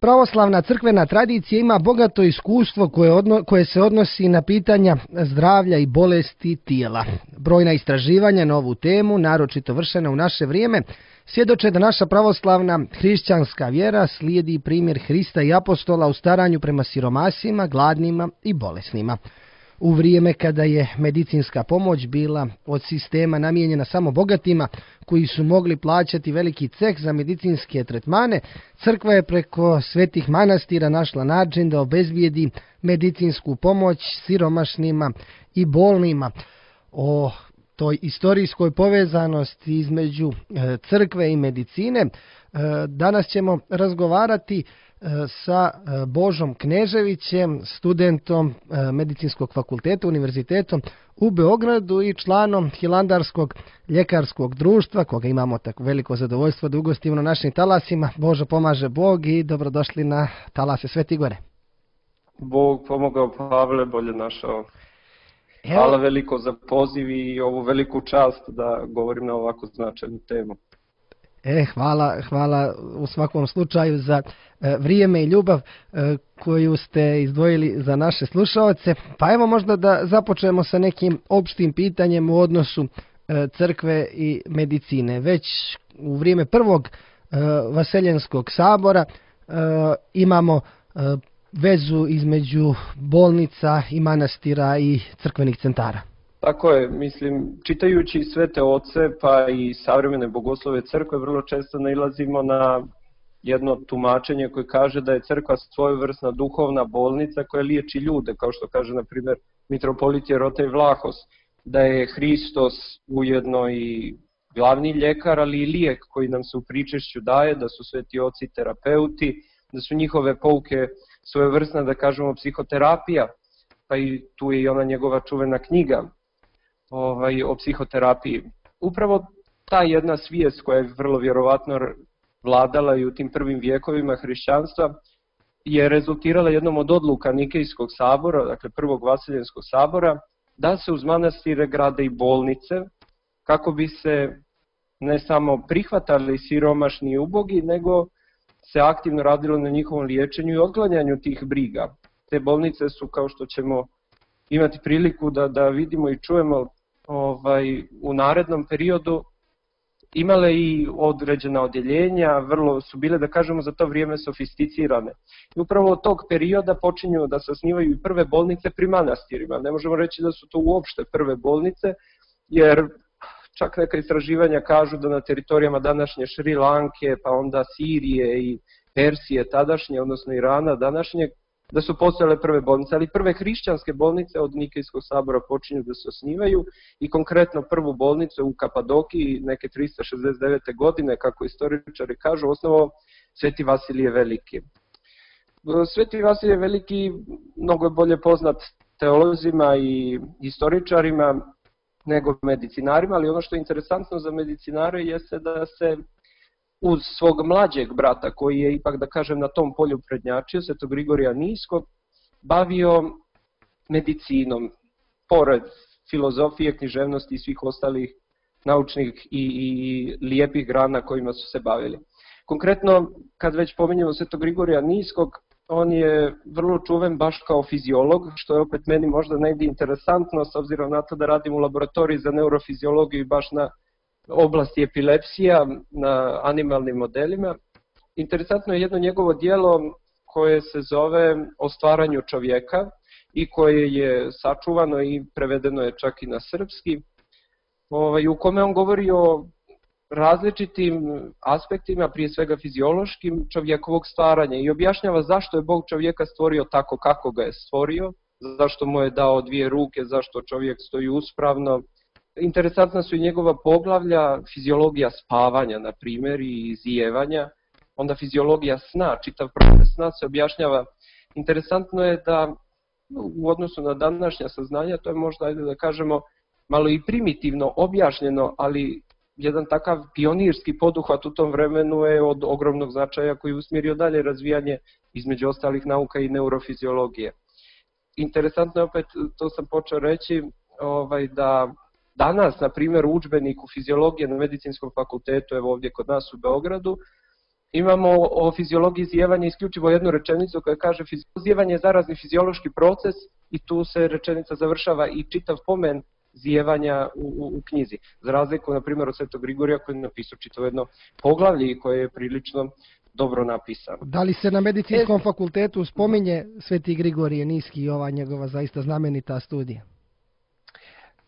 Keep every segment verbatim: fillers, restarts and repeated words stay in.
pravoslavna crkvena tradicija ima bogato iskustvo koje, odno, koje se odnosi na pitanja zdravlja i bolesti tijela. Brojna istraživanja na ovu temu, naročito vršena u naše vrijeme, svjedoče da naša pravoslavna hrišćanska vjera slijedi primjer Hrista i apostola u staranju prema siromasima, gladnima i bolesnima. U vrijeme kada je medicinska pomoć bila od sistema namijenjena samo bogatima koji su mogli plaćati veliki ceh za medicinske tretmane, crkva je preko svetih manastira našla način da obezbijedi medicinsku pomoć siromašnima i bolnima. O toj istorijskoj povezanosti između crkve i medicine danas ćemo razgovarati sa Božom Kneževićem, studentom Medicinskog fakulteta Univerzitetom u Beogradu i članom Hilandarskog ljekarskog društva, koga imamo tako veliko zadovoljstvo da ugostimo na našim talasima. Božo pomaže Bog i dobrodošli na talase Sveti Gore. Bog pomogao, Pavle, bolje našao. Hvala veliko za poziv i ovu veliku čast da govorim na ovako značajnu temu. E, hvala, hvala u svakom slučaju za e, vrijeme i ljubav e, koju ste izdvojili za naše slušaoce. Pa evo možda da započnemo sa nekim opštim pitanjem u odnosu e, crkve i medicine. Već u vrijeme prvog e, Vaseljenskog sabora e, imamo e, vezu između bolnica i manastira i crkvenih centara. Tako je, mislim, čitajući Svete oce pa i savremene bogoslove crkve vrlo često nailazimo na jedno tumačenje koje kaže da je crkva svojevrsna duhovna bolnica koja liječi ljude, kao što kaže na primjer mitropolit Jerotej Vlahos, da je Hristos ujedno i glavni ljekar, ali i lijek koji nam se u pričešću daje, da su sveti oci terapeuti, da su njihove pouke svojevrsna, da kažemo, psihoterapija, pa i tu je i ona njegova čuvena knjiga Ovaj, o psihoterapiji. Upravo ta jedna svijest koja je vrlo vjerovatno vladala i u tim prvim vijekovima hrišćanstva je rezultirala jednom od odluka Nikejskog sabora, dakle prvog Vaseljenskog sabora, da se uz manastire grade i bolnice kako bi se ne samo prihvatali siromašni i ubogi, nego se aktivno radilo na njihovom liječenju i otklanjanju tih briga. Te bolnice su, kao što ćemo imati priliku da, da vidimo i čujemo ovaj, u narednom periodu, imale i određena odjeljenja, vrlo su bile, da kažemo, za to vrijeme sofisticirane. I upravo od tog perioda počinju da se osnivaju i prve bolnice pri manastirima. Ne možemo reći da su to uopšte prve bolnice, jer čak neka istraživanja kažu da na teritorijama današnje Šri Lanke, pa onda Sirije i Persije tadašnje, odnosno Irana današnjeg, da su postojale prve bolnice, ali prve hrišćanske bolnice od Nikejskog sabora počinju da se osnivaju i konkretno prvu bolnicu u Kapadokiji neke tristo šezdeset devete. godine, kako istoričari kažu, osnovao Sveti Vasilije Veliki. Sveti Vasilije Veliki mnogo je bolje poznat teolozima i istoričarima nego medicinarima, ali ono što je interesantno za medicinare jeste da se uz svog mlađeg brata, koji je ipak, da kažem, na tom polju prednjačio, Svetog Grigorija Niskog, bavio medicinom, pored filozofije, književnosti i svih ostalih naučnih i, i lijepih grana kojima su se bavili. Konkretno, kad već pominjemo Svetog Grigorija Niskog, on je vrlo čuven baš kao fiziolog, što je opet meni možda negdje interesantno, s obzirom na to da radim u laboratoriji za neurofiziologiju i baš na oblasti epilepsija, na animalnim modelima. Interesantno je jedno njegovo djelo koje se zove O stvaranju čovjeka i koje je sačuvano i prevedeno je čak i na srpski, ovaj, u kome on govori o različitim aspektima, prije svega fiziološkim, čovjekovog stvaranja i objašnjava zašto je Bog čovjeka stvorio tako kako ga je stvorio, zašto mu je dao dvije ruke, zašto čovjek stoji uspravno. Interesantna su i njegova poglavlja, fiziologija spavanja, na primjer, i zijevanja, onda fiziologija sna, čitav proces sna se objašnjava. Interesantno je da u odnosu na današnja saznanja, to je možda, ajde da kažemo, malo i primitivno objašnjeno, ali jedan takav pionirski poduhvat u tom vremenu je od ogromnog značaja koji je usmjerio dalje razvijanje između ostalih nauka i neurofiziologije. Interesantno je opet, to sam počeo reći, ovaj, da danas, na primjer, u udžbeniku fiziologije na Medicinskom fakultetu, evo ovdje kod nas u Beogradu, Imamo o fizijologiji zijevanja isključivo jednu rečenicu koja kaže zijevanje je zarazni fiziološki proces i tu se rečenica završava i čitav pomen zijevanja u, u, u knjizi. Za razliku, na primjer, od Svetog Grigorija koji je napisao čitavo jedno poglavlje i koje je prilično dobro napisano. Da li se na medicinskom e... fakultetu spominje Sveti Grigorije Niski i ova njegova zaista znamenita studija?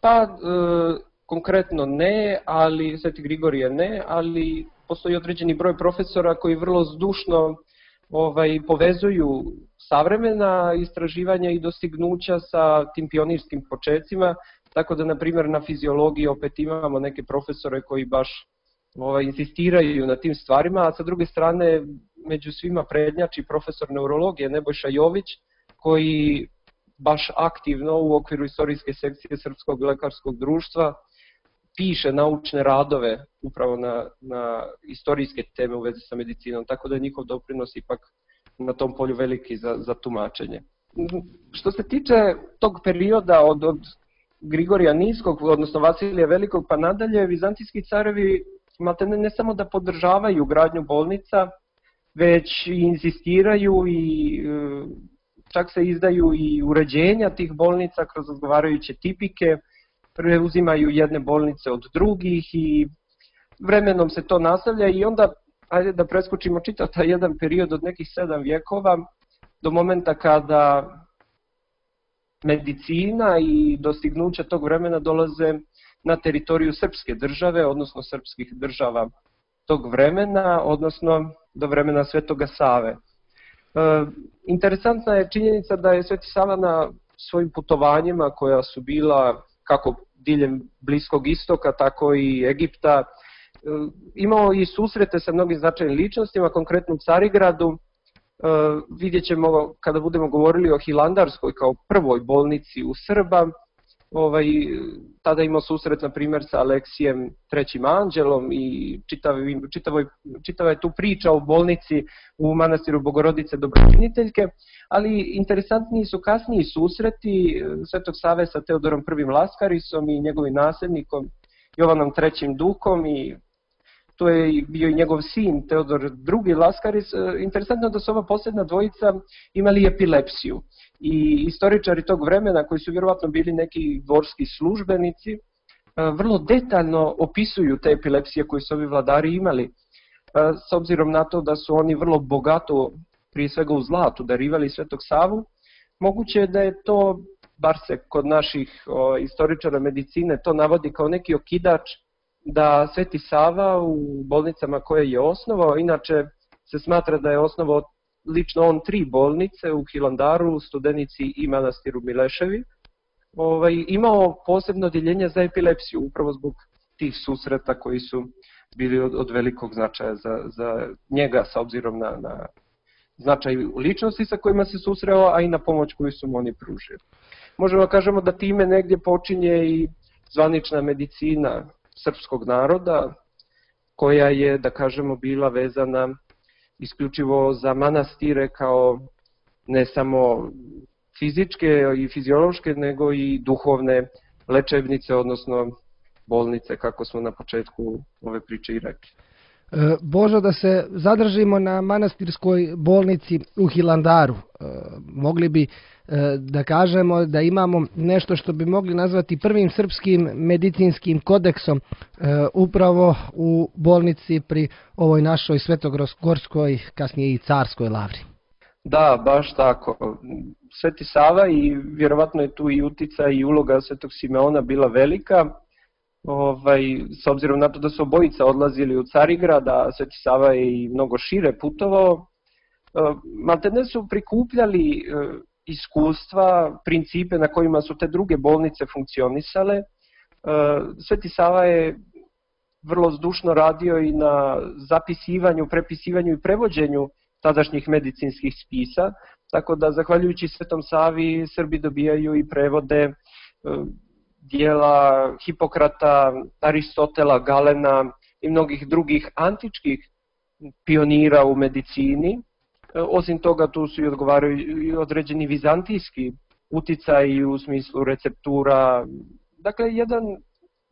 Pa, e, konkretno ne, ali Sveti Grigorije ne, ali postoji određeni broj profesora koji vrlo zdušno ovaj, povezuju savremena istraživanja i dostignuća sa tim pionirskim počecima, tako da, na primjer, na fizijologiji opet imamo neke profesore koji baš ovaj, insistiraju na tim stvarima, a sa druge strane među svima prednjači profesor neurologije Nebojša Jović, koji baš aktivno u okviru istorijske sekcije Srpskog lekarskog društva piše naučne radove upravo na, na istorijske teme u vezi sa medicinom, tako da je njihov doprinos ipak na tom polju veliki za, za tumačenje. Što se tiče tog perioda od, od Grigorija Niskog, odnosno Vasilija Velikog pa nadalje, vizantijski carevi maltene ne samo da podržavaju gradnju bolnica, već i insistiraju i čak se izdaju i uređenja tih bolnica kroz odgovarajuće tipike, preuzimaju jedne bolnice od drugih i vremenom se to nastavlja i onda, ajde da preskočimo čitav taj jedan period od nekih sedam vjekova do momenta kada medicina i dostignuća tog vremena dolaze na teritoriju srpske države, odnosno srpskih država tog vremena, odnosno do vremena Svetoga Save. E, interesantna je činjenica da je Sveti Sava na svojim putovanjima koja su bila kako diljem Bliskog istoka, tako i Egipta, imao i susrete sa mnogim značajnim ličnostima, konkretno u Carigradu. Vidjet ćemo kada budemo govorili o Hilandarskoj kao prvoj bolnici u Srba, ovaj, tada imao susret na primjer sa Aleksijem trećim anđelom i čitavi, čitavoj, čitava je tu priča o bolnici u manastiru Bogorodice Dobročiniteljke, ali interesantniji su kasniji susreti Svetog Save sa Teodorom prvim Laskarisom i njegovim nasljednikom Jovanom trećim Dukom i to je bio i njegov sin Teodor drugi Laskaris. Interesantno da su ova posljedna dvojica imali epilepsiju i istoričari tog vremena, koji su vjerovatno bili neki dvorski službenici, vrlo detaljno opisuju te epilepsije koje su ovi vladari imali, s obzirom na to da su oni vrlo bogato, prije svega u zlatu, darivali Svetog Savu. Moguće je da je to, bar se kod naših o, istoričara medicine, to navodi kao neki okidač da Sveti Sava u bolnicama koje je osnovao, inače se smatra da je osnovao lično on tri bolnice u Hilandaru, Studenici i manastiru Mileševi, ovaj, imao posebno odjeljenje za epilepsiju, upravo zbog tih susreta koji su bili od, od velikog značaja za, za njega, sa obzirom na, na značaj ličnosti sa kojima se susreo, a i na pomoć koju su mu oni pružili. Možemo da kažemo da time negdje počinje i zvanična medicina srpskog naroda, koja je, da kažemo, bila vezana isključivo za manastire kao ne samo fizičke i fiziološke, nego i duhovne lečebnice, odnosno bolnice, kako smo na početku ove priče i rekli. Božo, da se zadržimo na manastirskoj bolnici u Hilandaru. Mogli bi da kažemo da imamo nešto što bi mogli nazvati prvim srpskim medicinskim kodeksom upravo u bolnici pri ovoj našoj Svetogorskoj, kasnije i Carskoj lavri. Da, baš tako. Sveti Sava i vjerovatno je tu i uticaj i uloga Svetog Simeona bila velika. Ovaj, s obzirom na to da su obojica odlazili u Carigrad, a Sveti Sava je i mnogo šire putovao, maltene su prikupljali iskustva, principe na kojima su te druge bolnice funkcionisale. Sveti Sava je vrlo zdušno radio i na zapisivanju, prepisivanju i prevođenju tadašnjih medicinskih spisa, tako da zahvaljujući Svetom Savi Srbi dobijaju i prevode dijela Hipokrata, Aristotela, Galena i mnogih drugih antičkih pionira u medicini. Osim toga, tu su i odgovaraju i određeni vizantijski uticaj u smislu receptura. Dakle, jedan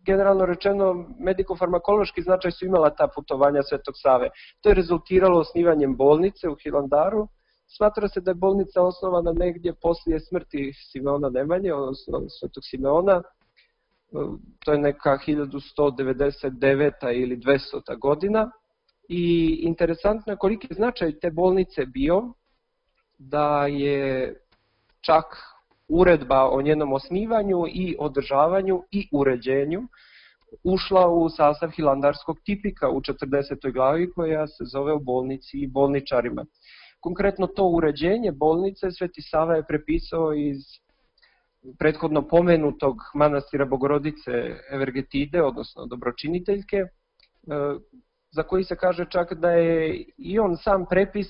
generalno rečeno, mediko-farmakološki značaj su imala ta putovanja Svetog Save. To je rezultiralo osnivanjem bolnice u Hilandaru. Smatra se da je bolnica osnovana negdje poslije smrti Simeona Nemanje, odnosno Svetog Simeona. To je neka hiljadu sto devedeset deveta ili dvestota godina. I interesantno je koliki je značaj te bolnice bio, da je čak uredba o njenom osnivanju i održavanju i uređenju ušla u sastav hilandarskog tipika u četrdesetoj glavi koja se zove o bolnici i bolničarima. Konkretno to uređenje bolnice Sveti Sava je prepisao iz prethodno pomenutog manastira Bogorodice Evergetide, odnosno dobročiniteljke, za koji se kaže čak da je i on sam prepis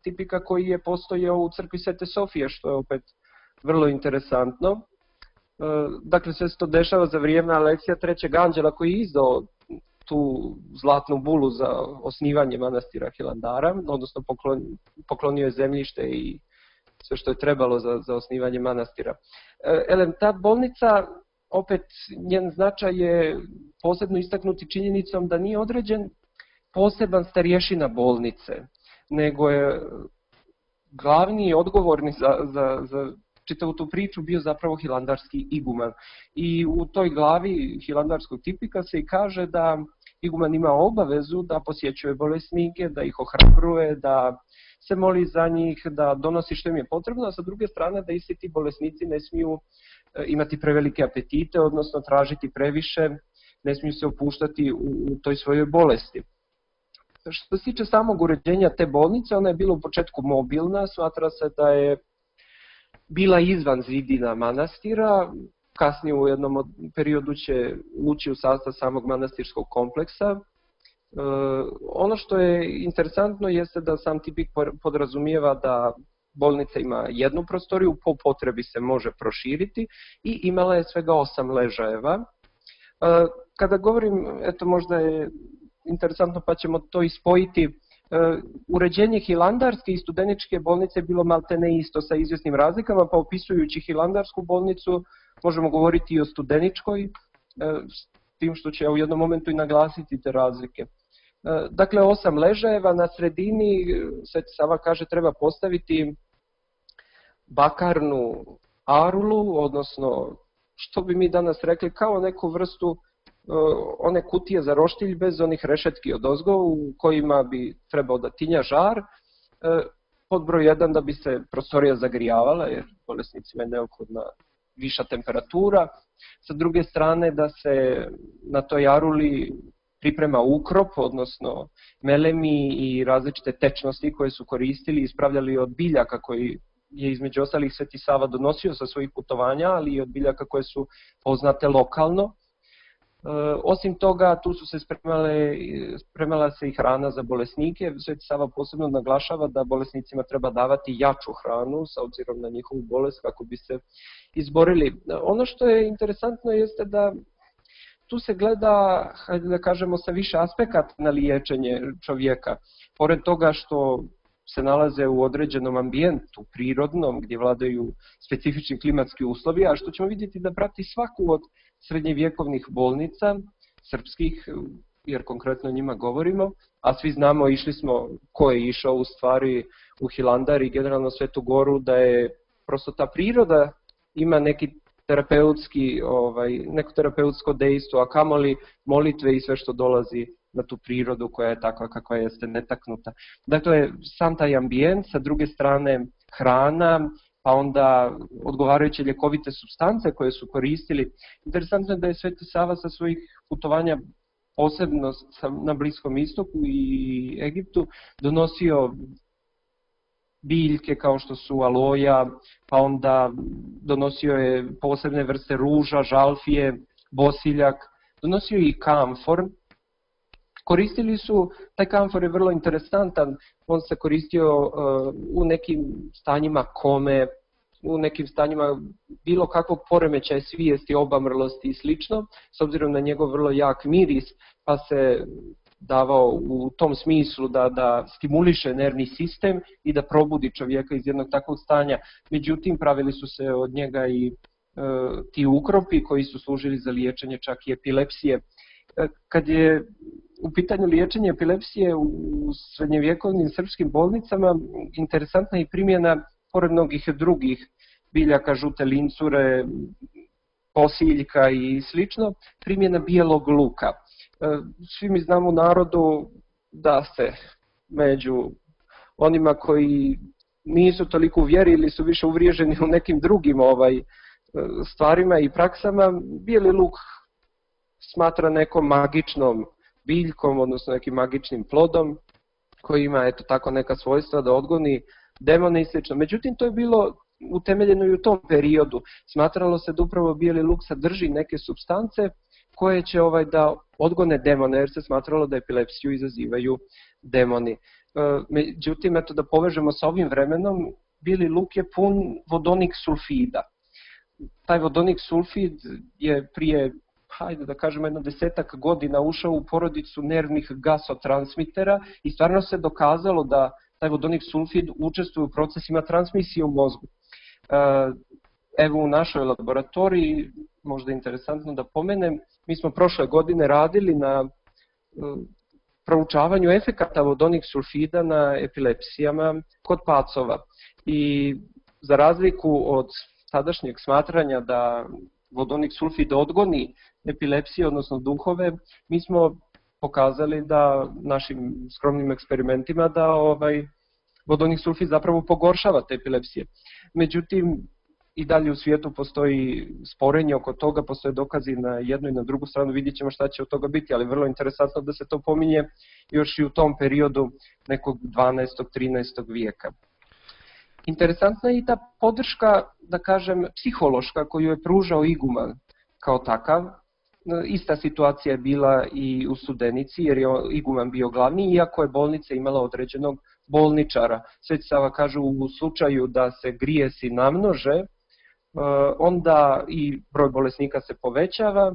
tipika koji je postojao u crkvi Svete Sofije, što je opet vrlo interesantno. Dakle, sve se to dešava za vrijeme Aleksija trećeg anđela koji je izdao tu zlatnu bulu za osnivanje manastira Hilandara, odnosno poklonio je zemljište i sve što je trebalo za, za osnivanje manastira. Elem, ta bolnica, opet njen značaj je posebno istaknuti činjenicom da nije određen poseban starješina bolnice, nego je glavni i odgovorni za, za, za čitavu tu priču bio zapravo hilandarski iguman. I u toj glavi hilandarskog tipika se i kaže da iguman ima obavezu da posjećuje bolesnike, da ih ohrabruje, da se moli za njih, da donosi što im je potrebno, a sa druge strane da isti ti bolesnici ne smiju imati prevelike apetite, odnosno tražiti previše, ne smiju se opuštati u, u toj svojoj bolesti. Što se tiče samog uređenja te bolnice, ona je bila u početku mobilna, smatra se da je bila izvan zidina manastira, kasnije u jednom periodu će ući u sastav samog manastirskog kompleksa. E, ono što je interesantno jeste da sam tipik podrazumijeva da bolnica ima jednu prostoriju, po potrebi se može proširiti i imala je svega osam ležajeva. E, kada govorim, eto možda je interesantno pa ćemo to ispojiti, uređenje hilandarske i studeničke bolnice je bilo maltene isto sa izvjesnim razlikama, pa opisujući hilandarsku bolnicu možemo govoriti i o studeničkoj, s tim što će u jednom momentu i naglasiti te razlike. Dakle, osam ležajeva, na sredini, Sveti Sava kaže, treba postaviti bakarnu arulu, odnosno, što bi mi danas rekli, kao neku vrstu one kutije za roštilj bez onih rešetki odozgo u kojima bi trebao da tinja žar. Pod broj jedan da bi se prostorija zagrijavala, jer bolesnicima je neophodna viša temperatura. Sa druge strane da se na toj aruli priprema ukrop, odnosno melemi i različite tečnosti koje su koristili i ispravljali od biljaka koji je između ostalih Sveti Sava donosio sa svojih putovanja, ali i od biljaka koje su poznate lokalno. Osim toga, tu su se spremale, spremala se i hrana za bolesnike. Sveti Sava posebno naglašava da bolesnicima treba davati jaču hranu s obzirom na njihovu bolest kako bi se izborili. Ono što je interesantno jeste da tu se gleda, hajde da kažemo, sa više aspekata na liječenje čovjeka. Pored toga što se nalaze u određenom ambijentu, prirodnom, gdje vladaju specifični klimatski uslovi, a što ćemo vidjeti da prati svaku od srednjevjekovnih bolnica, srpskih, jer konkretno o njima govorimo, a svi znamo, išli smo, ko je išao u stvari u Hilandar i generalno Svetu Goru, da je prosto ta priroda ima neki terapeutski, ovaj, neko terapeutsko dejstvo, a kamoli molitve i sve što dolazi na tu prirodu koja je takva kakva jeste, netaknuta. Dakle, sam taj ambijent, sa druge strane hrana, pa onda odgovarajuće ljekovite supstance koje su koristili. Interesantno je da je Sveti Sava sa svojih putovanja, posebno na Bliskom istoku i Egiptu, donosio biljke kao što su aloja, pa onda donosio je posebne vrste ruža, žalfije, bosiljak, donosio i kamfor. Koristili su, taj kamfor je vrlo interesantan, on se koristio uh, u nekim stanjima kome, u nekim stanjima bilo kakvog poremećaja svijesti, obamrlosti i slično, s obzirom na njegov vrlo jak miris, pa se davao u tom smislu da, da stimuliše nervni sistem i da probudi čovjeka iz jednog takvog stanja. Međutim, pravili su se od njega i ti ukropi koji su služili za liječenje čak i epilepsije. Kad je u pitanju liječenja epilepsije u srednjevjekovnim srpskim bolnicama, interesantna je primjena, pored mnogih drugih biljaka, žute lincure, posiljka i slično, primjena bijelog luka. Svi mi znamo u narodu da se među onima koji nisu toliko u vjeri ili su više uvriježeni u nekim drugim ovaj, stvarima i praksama, bijeli luk smatra nekom magičnom biljkom, odnosno nekim magičnim plodom koji ima eto tako neka svojstva da odgoni demone i slično. Međutim, to je bilo utemeljeno i u tom periodu. Smatralo se da upravo bijeli luk sadrži neke supstance koje će ovaj da odgone demone, jer se smatralo da epilepsiju izazivaju demoni. Međutim, eto da povežemo sa ovim vremenom, bijeli luk je pun vodonik sulfida. Taj vodonik sulfid je prije, hajde da kažemo, jedno desetak godina ušao u porodicu nervnih gasotransmitera i stvarno se dokazalo da taj vodonik sulfid učestvuje u procesima transmisije u mozgu. Evo u našoj laboratoriji, možda je interesantno da pomenem, mi smo prošle godine radili na proučavanju efekata vodonik sulfida na epilepsijama kod pacova. I za razliku od sadašnjeg smatranja da vodonik sulfid odgoni epilepsije, odnosno duhove, mi smo pokazali da našim skromnim eksperimentima da ovaj vodonik sulfid zapravo pogoršava te epilepsije. Međutim, i dalje u svijetu postoji sporenje oko toga, postoje dokazi na jednu i na drugu stranu, vidjet ćemo šta će od toga biti, ali vrlo interesantno da se to pominje još i u tom periodu nekog dvanaestog trinaestog vijeka. Interesantna je i ta podrška, da kažem, psihološka koju je pružao iguman kao takav. Ista situacija je bila i u Studenici, jer je iguman bio glavni, iako je bolnica imala određenog bolničara. Sveti Sava kaže u slučaju da se grijesi namnože, onda i broj bolesnika se povećava,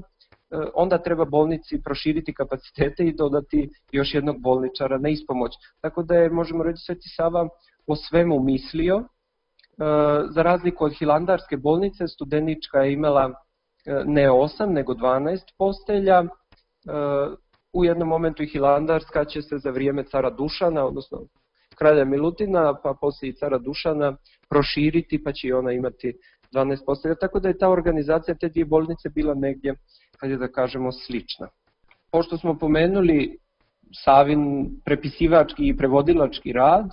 onda treba bolnici proširiti kapacitete i dodati još jednog bolničara na ispomoć. Tako da je, možemo reći, Sveti Sava o svemu mislio. Za razliku od Hilandarske bolnice, Studenička je imala ne osam, nego dvanaest postelja. U jednom momentu i Hilandarska će se za vrijeme cara Dušana, odnosno kralja Milutina, pa poslije i cara Dušana, proširiti, pa će i ona imati dvanaest postelja. Tako da je ta organizacija te dvije bolnice bila negdje, kad je da kažemo, slična. Pošto smo pomenuli Savin prepisivački i prevodilački rad,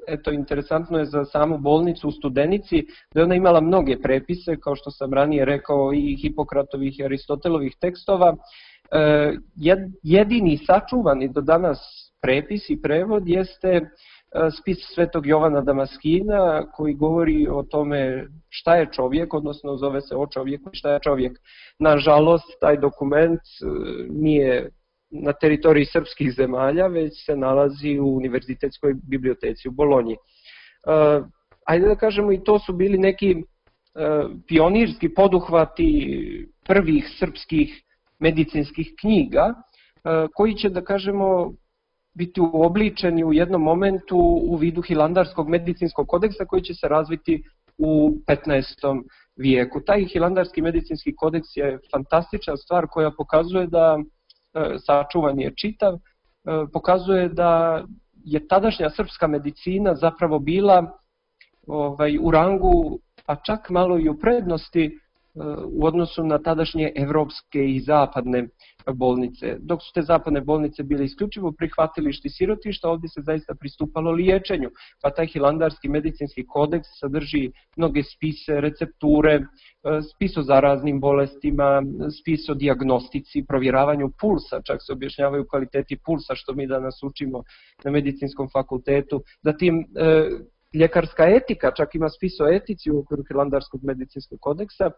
eto, interesantno je za samu bolnicu u Studenici da je ona imala mnoge prepise, kao što sam ranije rekao, i Hipokratovih i Aristotelovih tekstova. Jedini sačuvani do danas prepis i prevod jeste spis Svetog Jovana Damaskina, koji govori o tome šta je čovjek, odnosno zove se O čovjeku i šta je čovjek. Nažalost, taj dokument nije na teritoriji srpskih zemalja, već se nalazi u Univerzitetskoj biblioteci u Bolonji. Ajde da kažemo, i to su bili neki pionirski poduhvati prvih srpskih medicinskih knjiga, koji će, da kažemo, biti uobličeni u jednom momentu u vidu Hilandarskog medicinskog kodeksa koji će se razviti u petnaestom vijeku. Taj Hilandarski medicinski kodeks je fantastična stvar koja pokazuje da, sačuvan je čitav, pokazuje da je tadašnja srpska medicina zapravo bila ovaj, u rangu, a čak malo i u prednosti u odnosu na tadašnje evropske i zapadne bolnice. Dok su te zapadne bolnice bile isključivo prihvatilišti sirotišta, ovdje se zaista pristupalo liječenju. Pa taj Hilandarski medicinski kodeks sadrži mnoge spise, recepture, spis o zaraznim bolestima, spis o dijagnostici, provjeravanju pulsa, čak se objašnjavaju kvaliteti pulsa, što mi danas učimo na medicinskom fakultetu. Zatim, ljekarska etika, čak ima spis o etici u okviru Hilandarskog medicinskog kodeksa,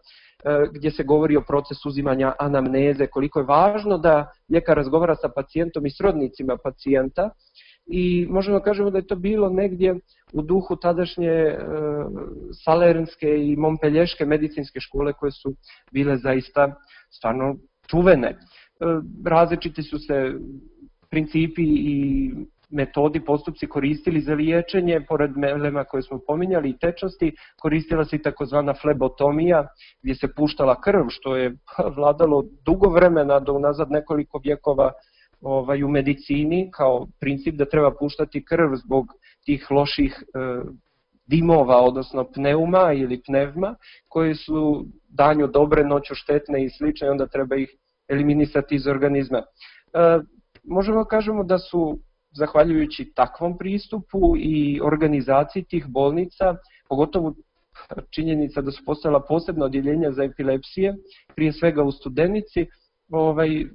gdje se govori o procesu uzimanja anamneze, koliko je važno da ljekar razgovara sa pacijentom i srodnicima pacijenta, i možemo da kažemo da je to bilo negdje u duhu tadašnje salernske i montpelješke medicinske škole, koje su bile zaista stvarno čuvene. Različiti su se principi i metodi, postupci koristili za liječenje, pored melema koje smo pominjali i tečnosti, koristila se i takozvana flebotomija, gdje se puštala krv, što je vladalo dugo vremena, do unazad nekoliko vjekova ovaj, u medicini, kao princip da treba puštati krv zbog tih loših e, dimova, odnosno pneuma ili pnevma, koji su danju dobre, noću štetne i slično, i onda treba ih eliminisati iz organizma. E, možemo kažemo da su, zahvaljujući takvom pristupu i organizaciji tih bolnica, pogotovo činjenica da su postojala posebna odjeljenja za epilepsije, prije svega u Studenici, ovaj,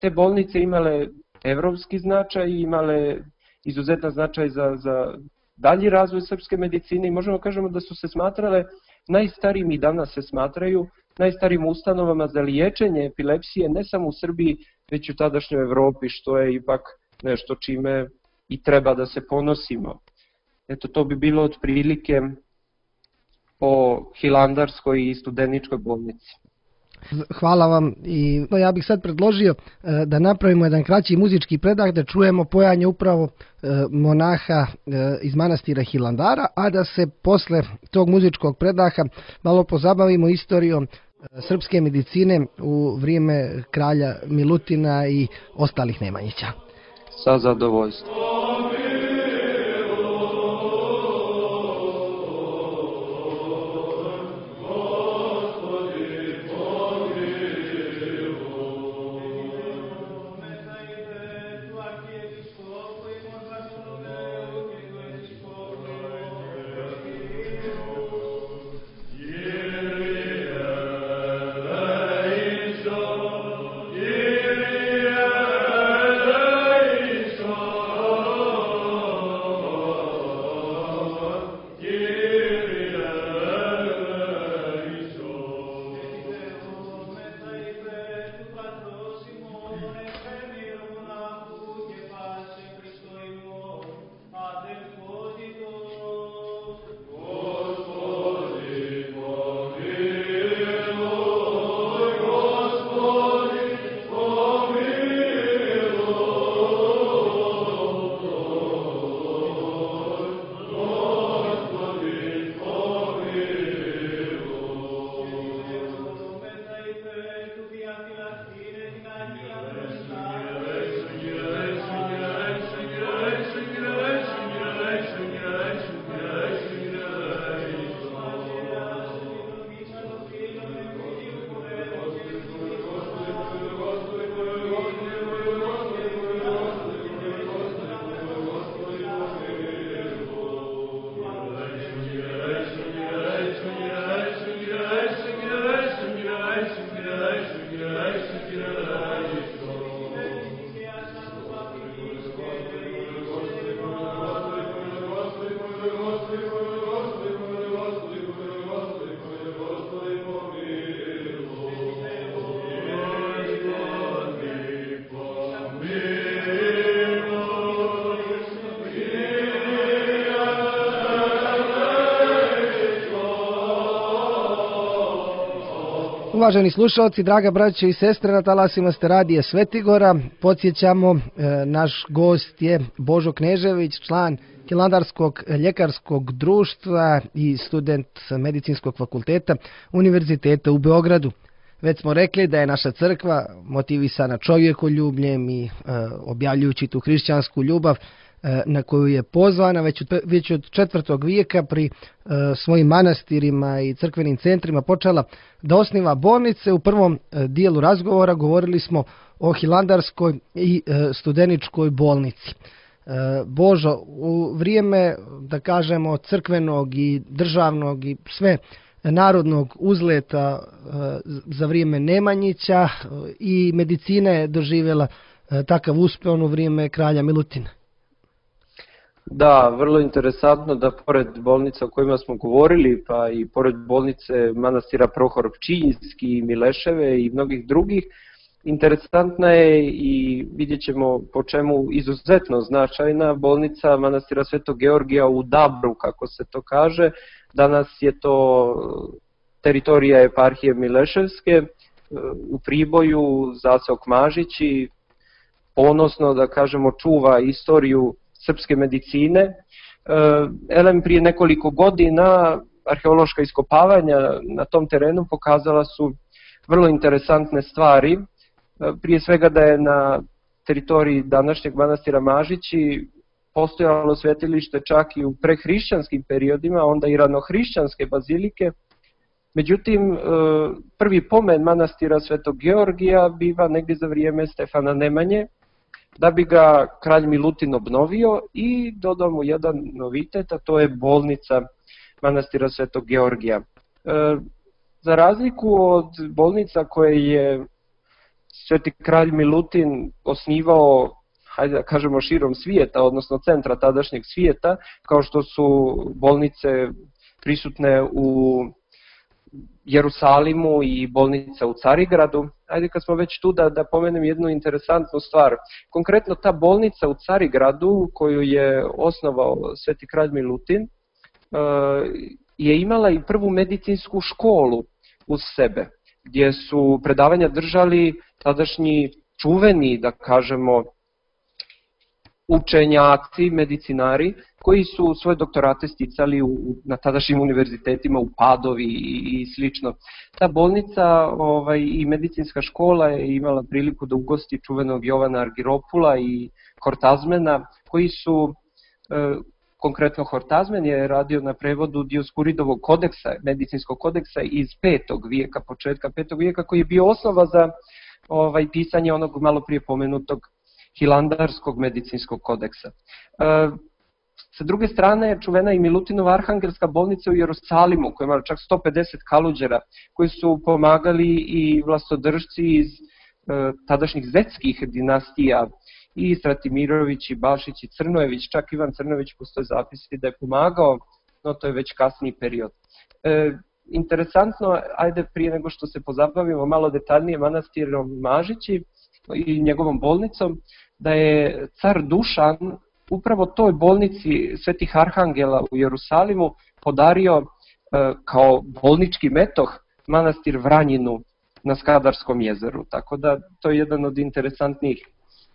te bolnice imale evropski značaj i imale izuzetan značaj za, za dalji razvoj srpske medicine i možemo kažemo da su se smatrale najstarijim i danas se smatraju najstarijim ustanovama za liječenje epilepsije ne samo u Srbiji, već i u tadašnjoj Evropi, što je ipak nešto čime i treba da se ponosimo. Eto, to bi bilo otprilike po Hilandarskoj i Studeničkoj bolnici. Hvala vam i ja bih sad predložio da napravimo jedan kraći muzički predah, da čujemo pojanje upravo monaha iz manastira Hilandara, a da se posle tog muzičkog predaha malo pozabavimo istorijom srpske medicine u vrijeme kralja Milutina i ostalih Nemanjića. Sa zadovoljstvom. Uvaženi slušalci, draga braćo i sestre, na talasima ste radija Svetigora. Podsjećamo, e, naš gost je Božo Knežević, član Hilandarskog ljekarskog društva i student medicinskog fakulteta Univerziteta u Beogradu. Već smo rekli da je naša crkva motivisana čovjekoljubljem i e, objavljujući tu hrišćansku ljubav e, na koju je pozvana već od, već od četvrtog vijeka pri e, svojim manastirima i crkvenim centrima počela da osniva bolnice. U prvom e, dijelu razgovora govorili smo o Hilandarskoj i e, Studeničkoj bolnici. E, Božo, u vrijeme, da kažemo, crkvenog i državnog i sve narodnog uzleta za vrijeme Nemanjića i medicina je doživjela takav uspeh u vrijeme kralja Milutina. Da, vrlo interesantno da pored bolnica o kojima smo govorili, pa i pored bolnice manastira Prohor Pčinjski i Mileševe i mnogih drugih, interesantna je i vidjet ćemo po čemu izuzetno značajna bolnica manastira Svetog Georgija u Dabru, kako se to kaže. Danas je to teritorija eparhije Mileševske, u Priboju Zaco Kmažić i ponosno, da kažemo, čuva istoriju srpske medicine. Elem, prije nekoliko godina arheološka iskopavanja na tom terenu pokazala su vrlo interesantne stvari. Prije svega da je na teritoriji današnjeg manastira Mažići postojalo svetilište čak i u prehrišćanskim periodima, onda i ranohrišćanske bazilike. Međutim, prvi pomen manastira Svetog Georgija biva negdje za vrijeme Stefana Nemanje, da bi ga kralj Milutin obnovio i dodao mu jedan novitet, a to je bolnica manastira Svetog Georgija. Za razliku od bolnica koje je Sveti kralj Milutin osnivao, hajde da kažemo, širom svijeta, odnosno centra tadašnjeg svijeta, kao što su bolnice prisutne u Jerusalimu i bolnica u Carigradu. Ajde, kad smo već tu, da, da pomenem jednu interesantnu stvar. Konkretno ta bolnica u Carigradu, koju je osnovao Sveti kralj Milutin, je imala i prvu medicinsku školu uz sebe, gdje su predavanja držali tadašnji čuveni, da kažemo, učenjaci, medicinari, koji su svoje doktorate sticali u, na tadašnjim univerzitetima u Padovi i, i slično. Ta bolnica ovaj, i medicinska škola je imala priliku da ugosti čuvenog Jovana Argiropula i Hortazmena, koji su, e, konkretno Hortazmen je radio na prevodu Dioskuridovog kodeksa, medicinskog kodeksa iz petog vijeka, početka petog vijeka, koji je bio osnova za ovaj, pisanje onog malo prije pomenutog Hilandarskog medicinskog kodeksa. E, sa druge strane, čuvena i Milutinova arhangelska bolnica u Jerusalimu, koja ima čak sto pedeset kaluđera, koji su pomagali i vlastodržci iz e, tadašnjih zetskih dinastija, i Stratimirović, i Bašić, i Crnojević, čak Ivan Crnojević postoje zapisi da je pomagao, no to je već kasniji period. E, interesantno, ajde prije nego što se pozabavimo malo detaljnije manastirom Mažići i njegovom bolnicom, da je car Dušan upravo toj bolnici Svetih Arhangela u Jerusalimu podario e, kao bolnički metoh manastir Vranjinu na Skadarskom jezeru, tako da to je jedan od interesantnijih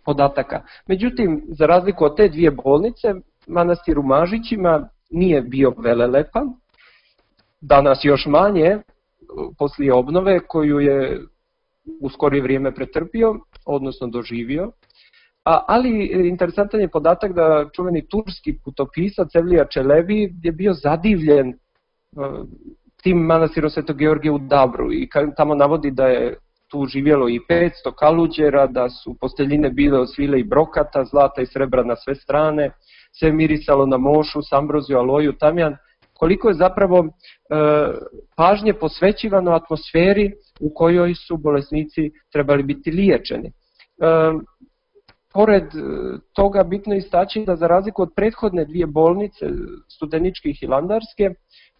podataka. Međutim, za razliku od te dvije bolnice, manastir u Mažićima nije bio velelepan, danas još manje, poslije obnove koju je u skorije vrijeme pretrpio, odnosno doživio. A, ali interesantan je podatak da čuveni turski putopisac Evlija Čelebi je bio zadivljen uh, tim manastirom Svetog Georgija u Dabru i tamo navodi da je tu živjelo i petsto kaluđera, da su posteljine bile od svile i brokata, zlata i srebra na sve strane, sve mirisalo na mošu, sambroziju, aloju, tamjan. Koliko je zapravo e, pažnje posvećivano atmosferi u kojoj su bolesnici trebali biti liječeni. E, pored toga bitno istaći da za razliku od prethodne dvije bolnice, Studeničke i Hilandarske,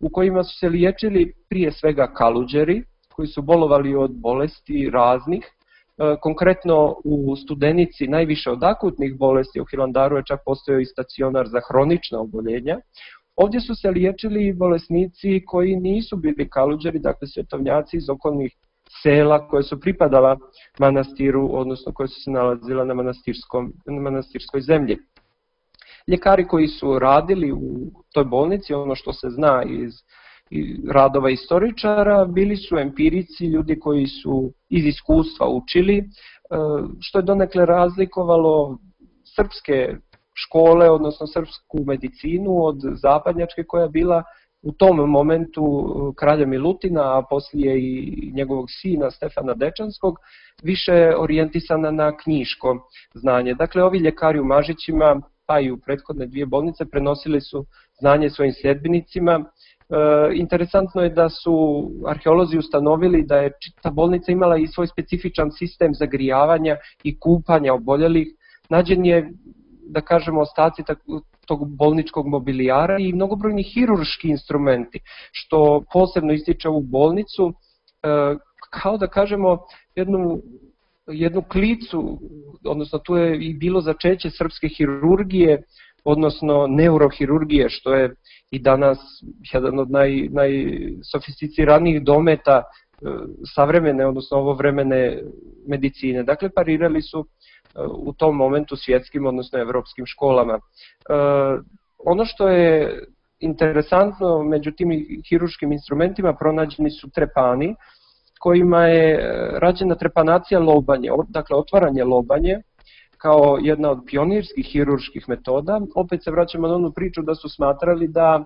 u kojima su se liječili prije svega kaluđeri, koji su bolovali od bolesti raznih, e, konkretno u Studenici najviše od akutnih bolesti, u Hilandaru je čak postojao i stacionar za hronična oboljenja. Ovdje su se liječili bolesnici koji nisu bili kaluđeri, dakle svetovnjaci iz okolnih sela koje su pripadala manastiru, odnosno koje su se nalazila na, manastirskom, na manastirskoj zemlji. Ljekari koji su radili u toj bolnici, ono što se zna iz radova istoričara, bili su empirici, ljudi koji su iz iskustva učili, što je donekle razlikovalo srpske škole, odnosno srpsku medicinu od zapadnjačke koja je bila u tom momentu kralja Milutina, a poslije i njegovog sina Stefana Dečanskog, više orijentisana na knjiško znanje. Dakle, ovi ljekari u Mažićima, pa i u prethodne dvije bolnice, prenosili su znanje svojim sljedbenicima. E, interesantno je da su arheolozi ustanovili da je ta bolnica imala i svoj specifičan sistem zagrijavanja i kupanja oboljelih. Nađen je, da kažemo, ostaci tog bolničkog mobilijara i mnogobrojni hirurški instrumenti, što posebno ističe ovu bolnicu, kao da kažemo jednu, jednu klicu, odnosno tu je i bilo začeće srpske hirurgije, odnosno neurohirurgije, što je i danas jedan od naj, najsofisticiranijih dometa savremene, odnosno ovovremene medicine. Dakle, parirali su u tom momentu svjetskim, odnosno evropskim školama. Ono što je interesantno, među tim hiruškim instrumentima pronađeni su trepani, kojima je rađena trepanacija lobanje, dakle otvaranje lobanje, kao jedna od pionirskih hirurških metoda. Opet se vraćamo na onu priču da su smatrali da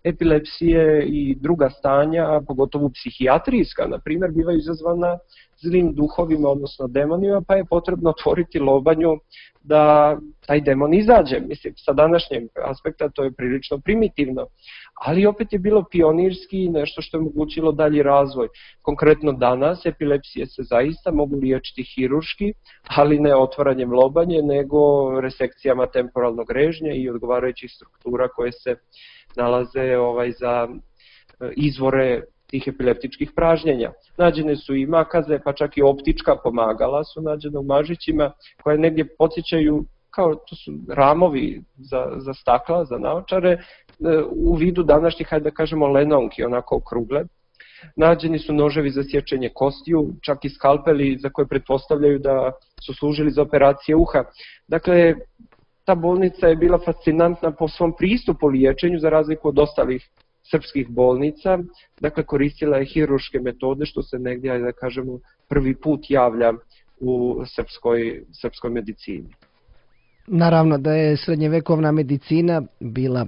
epilepsije i druga stanja, pogotovo psihijatrijska, na primjer, bivaju izazvana zlim duhovima, odnosno demonima, pa je potrebno otvoriti lobanju da taj demon izađe. Mislim, sa današnjeg aspekta to je prilično primitivno, ali opet je bilo pionirski nešto što je omogućilo dalji razvoj. Konkretno danas epilepsije se zaista mogu liječiti hirurški, ali ne otvaranjem lobanje, nego resekcijama temporalnog režnja i odgovarajućih struktura koje se nalaze ovaj, za izvore tih epileptičkih pražnjenja. Nađene su i makaze, pa čak i optička pomagala su nađene u mažićima, koje negdje podsjećaju, kao to su ramovi za, za stakla, za naočare, u vidu današnjih, hajde da kažemo, lenonki, onako okrugle. Nađeni su noževi za sječenje kostiju, čak i skalpeli za koje pretpostavljaju da su služili za operacije uha. Dakle, ta bolnica je bila fascinantna po svom pristupu liječenju, za razliku od ostalih srpskih bolnica, dakle koristila je hirurške metode, što se negdje, ajde da kažemo, prvi put javlja u srpskoj, srpskoj medicini. Naravno da je srednjevekovna medicina bila e,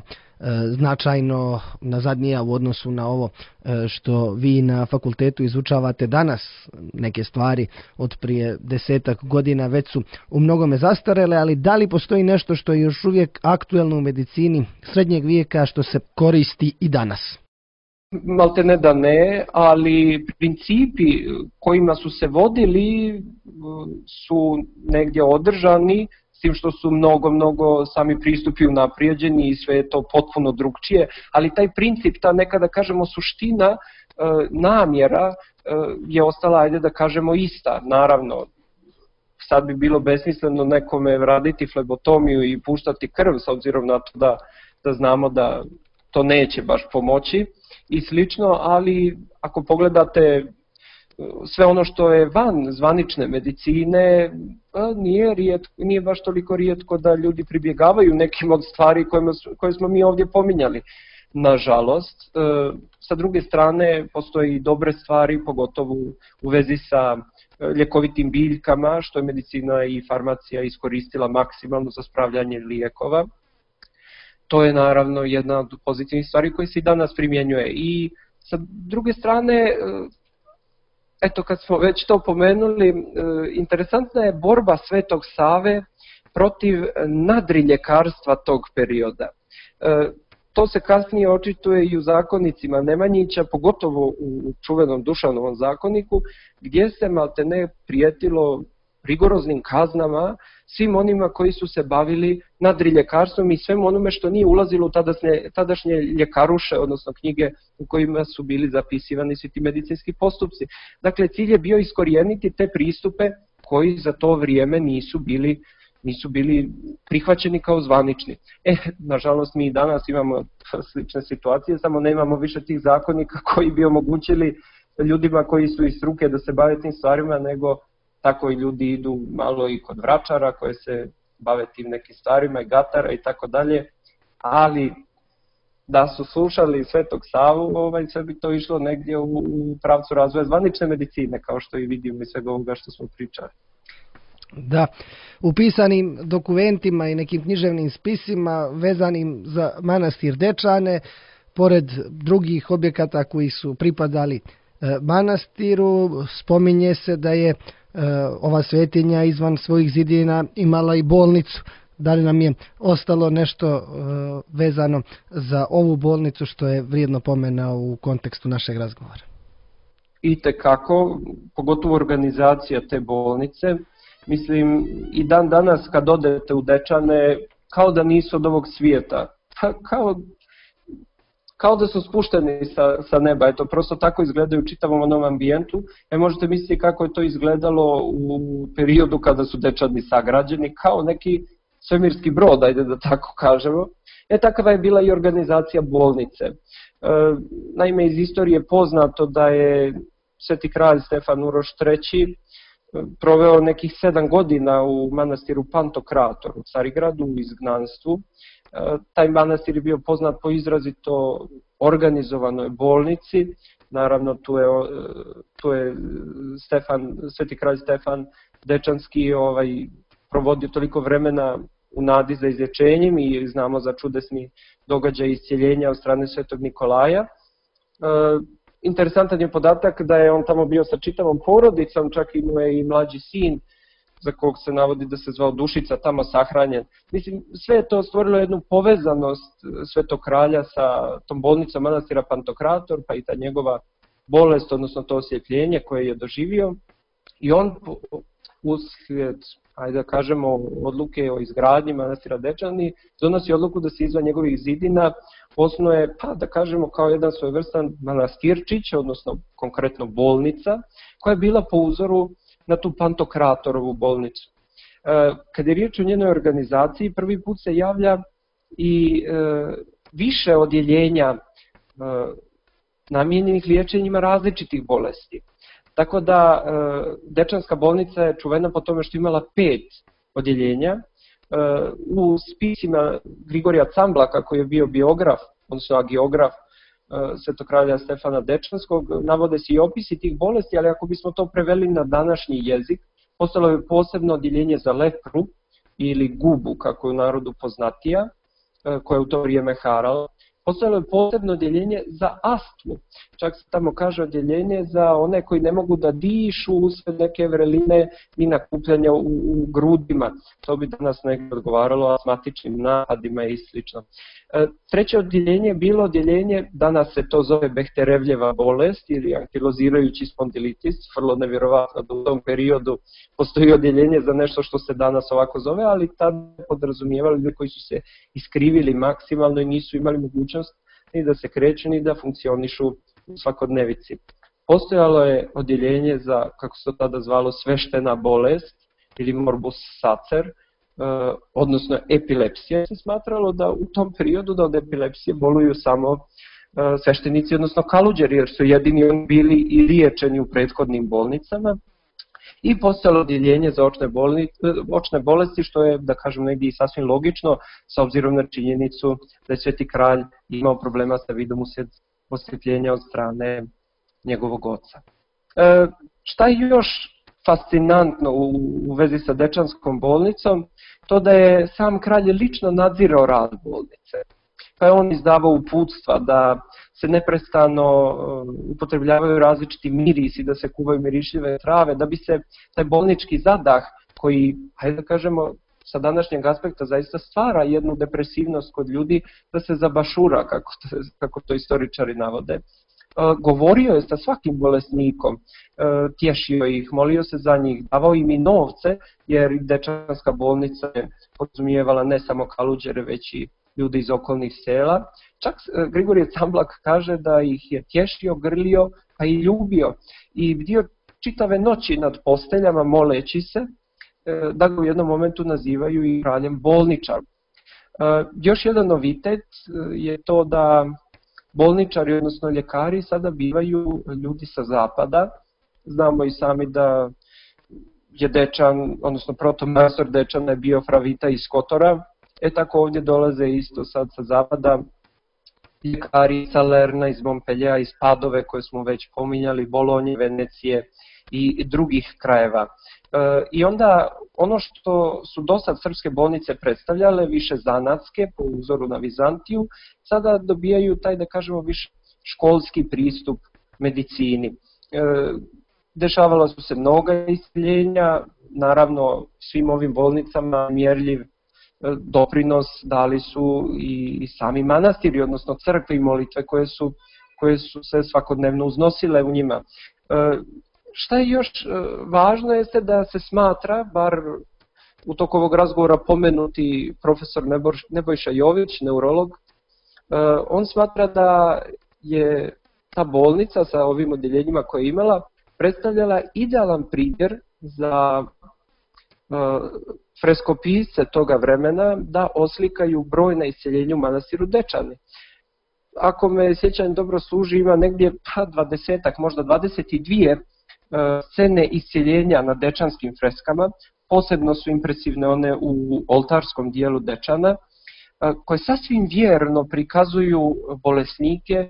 značajno nazadnija u odnosu na ovo e, što vi na fakultetu izučavate danas. Neke stvari od prije desetak godina već su u mnogome zastarele, ali da li postoji nešto što je još uvijek aktuelno u medicini srednjeg vijeka što se koristi i danas? Malte ne da ne, ali principi kojima su se vodili su negdje održani, s tim što su mnogo, mnogo sami pristupi unaprijeđeni i sve je to potpuno drugčije, ali taj princip, ta nekada kažemo suština, namjera je ostala, ajde da kažemo, ista. Naravno, sad bi bilo besmisleno nekome raditi flebotomiju i puštati krv, s obzirom na to da, da znamo da to neće baš pomoći i slično, ali ako pogledate sve ono što je van zvanične medicine, nije, rijetko, nije baš toliko rijetko da ljudi pribjegavaju nekim od stvari kojima, koje smo mi ovdje pominjali. Nažalost, sa druge strane postoje i dobre stvari, pogotovo u vezi sa ljekovitim biljkama, što je medicina i farmacija iskoristila maksimalno za spravljanje lijekova. To je naravno jedna od pozitivnih stvari koje se i danas primjenjuje. I sa druge strane, eto kad smo već to pomenuli, interesantna je borba Svetog Save protiv nadriljekarstva tog perioda. To se kasnije očituje i u zakonicima Nemanjića, pogotovo u čuvenom Dušanovom zakoniku, gdje se maltene prijetilo rigoroznim kaznama svim onima koji su se bavili nadriljekarstvom i svemu onome što nije ulazilo u tadašnje, tadašnje ljekaruše, odnosno knjige u kojima su bili zapisivani svi ti medicinski postupci. Dakle, cilj je bio iskorijeniti te pristupe koji za to vrijeme nisu bili, nisu bili prihvaćeni kao zvanični. E, nažalost, mi i danas imamo slične situacije, samo nemamo više tih zakonika koji bi omogućili ljudima koji su iz struke da se bave tim stvarima, nego tako i ljudi idu malo i kod vračara koje se bave tim nekim stvarima i gatara i tako dalje, ali da su slušali Svetog Savu, ovaj, sve bi to išlo negdje u, u pravcu razvoja zvanične medicine, kao što i vidimo iz svega ovoga što smo pričali. Da, u pisanim dokumentima i nekim književnim spisima vezanim za manastir Dečane, pored drugih objekata koji su pripadali manastiru, spominje se da je ova svetinja izvan svojih zidina imala i bolnicu. Da li nam je ostalo nešto vezano za ovu bolnicu što je vrijedno pomena u kontekstu našeg razgovora? Itekako, pogotovo organizacija te bolnice. Mislim, i dan danas kad odete u Dečane, kao da nisu od ovog svijeta. Kao, kao da su spušteni sa, sa neba. Eto, prosto tako izgledaju u čitavom onom ambijentu. E, možete misliti kako je to izgledalo u periodu kada su Dečani sagrađeni, kao neki svemirski brod, ajde da tako kažemo. E, takva je bila i organizacija bolnice. E, naime, iz istorije je poznato da je sveti kralj Stefan Uroš treći proveo nekih sedam godina u manastiru Pantokrator u Carigradu u izgnanstvu. Taj manastir je bio poznat po izrazito organizovanoj bolnici. Naravno, tu je, tu je Stefan, Sveti kralj Stefan Dečanski ovaj, provodio toliko vremena u nadi za izlječenjem i znamo za čudesni događaj iscijeljenja od strane Svetog Nikolaja. E, interesantan je podatak da je on tamo bio sa čitavom porodicom, čak imao je i mlađi sin za kog se navodi da se zvao Dušica, tamo sahranjen. Mislim, sve je to stvorilo jednu povezanost Svetog kralja sa tom bolnicom manastira Pantokrator, pa i ta njegova bolest, odnosno to osvjetljenje koje je doživio. I on uslijed, ajde da kažemo, odluke o izgradnji manastira Dečani, donosi odluku da se izvan njegovih zidina osnuje, pa da kažemo, kao jedan svojevrstan manastirčić, odnosno konkretno bolnica, koja je bila po uzoru na tu Pantokratorovu bolnicu. Kad je riječ o njenoj organizaciji, prvi put se javlja i više odjeljenja namijenjenih liječenjima različitih bolesti. Tako da Dečanska bolnica je čuvena po tome što imala pet odjeljenja. U spisima Grigorija Camblaka, koji je bio biograf, odnosno agiograf Svetog kralja Stefana Dečanskog, navode se i opisi tih bolesti, ali ako bismo to preveli na današnji jezik, postalo je posebno odjeljenje za lepru ili gubu, kako je u narodu poznatija, koja je u to vrijeme harala. Postojalo je posebno odjeljenje za astmu. Čak se tamo kaže odjeljenje za one koji ne mogu da dišu usred neke vreline i nakupljanja u, u grudima. To bi danas nekako odgovaralo astmatičnim napadima i slično. E, treće odjeljenje je bilo odjeljenje, danas se to zove Behterevljeva bolest ili ankilozirajući spondilitis. Vrlo nevjerovatno da u tom periodu postoji odjeljenje za nešto što se danas ovako zove, ali tada podrazumijevali ljudi koji su se iskrivili maksimalno i nisu imali mogućnost ni da se kreću, ni da funkcionišu u svakodnevici. Postojalo je odjeljenje za, kako se to tada zvalo, sveštena bolest ili morbus sacer, odnosno epilepsija. Se smatralo da u tom periodu da od epilepsije boluju samo sveštenici, odnosno kaluđeri, jer su jedini oni bili i liječeni u prethodnim bolnicama. I postojalo odjeljenje za očne, bolni, očne bolesti, što je, da kažem, negdje i sasvim logično, s obzirom na činjenicu da je Sveti kralj imao problema sa vidom uslijed osvjetljenja od strane njegovog oca. E, šta je još fascinantno u, u vezi sa Dečanskom bolnicom? To da je sam kralj lično nadzirao rad bolnice. Pa je on izdavao uputstva da se neprestano upotrebljavaju različiti mirisi, da se kuvaju mirišljive trave, da bi se taj bolnički zadah, koji, hajde da kažemo, sa današnjeg aspekta zaista stvara jednu depresivnost kod ljudi, da se zabašura, kako to, kako to istoričari navode. Govorio je sa svakim bolesnikom, tješio ih, molio se za njih, davao im i novce, jer Dečanska bolnica je podrazumijevala ne samo kaluđere, već i ljudi iz okolnih sela. Čak Grigorije Camblak kaže da ih je tješio, grlio, pa i ljubio. I bdio čitave noći nad posteljama moleći se, da ga u jednom momentu nazivaju i kraljem bolničar. Još jedan novitet je to da bolničari, odnosno ljekari, sada bivaju ljudi sa zapada. Znamo i sami da je Dečan, odnosno protomajstor Dečana je bio Fra Vita iz Kotora. E tako ovdje dolaze isto sad sa zapada ljekari iz Salerna, iz Montpelliera, iz Padove koje smo već pominjali, Bolonje, Venecije i drugih krajeva. E, I onda ono što su dosad srpske bolnice predstavljale, više zanatske po uzoru na Vizantiju, sada dobijaju taj, da kažemo, više školski pristup medicini. E, dešavala su se mnoga isceljenja, naravno svim ovim bolnicama mjerljiv doprinos dali su i sami manastiri, odnosno crkve i molitve koje su, koje su se svakodnevno uznosile u njima. E, šta je još važno jeste da se smatra, bar u toku ovog razgovora pomenuti profesor Nebojša Jović, neurolog, e, on smatra da je ta bolnica sa ovim odjeljenjima koje je imala predstavljala idealan primjer za freskopisce toga vremena da oslikaju brojna isceljenja u manastiru Dečani. Ako me sjećanje dobro služi, ima negdje pa dvadesetak, možda dvadeset dvije scene isceljenja na dečanskim freskama. Posebno su impresivne one u oltarskom dijelu Dečana, koje sasvim vjerno prikazuju bolesnike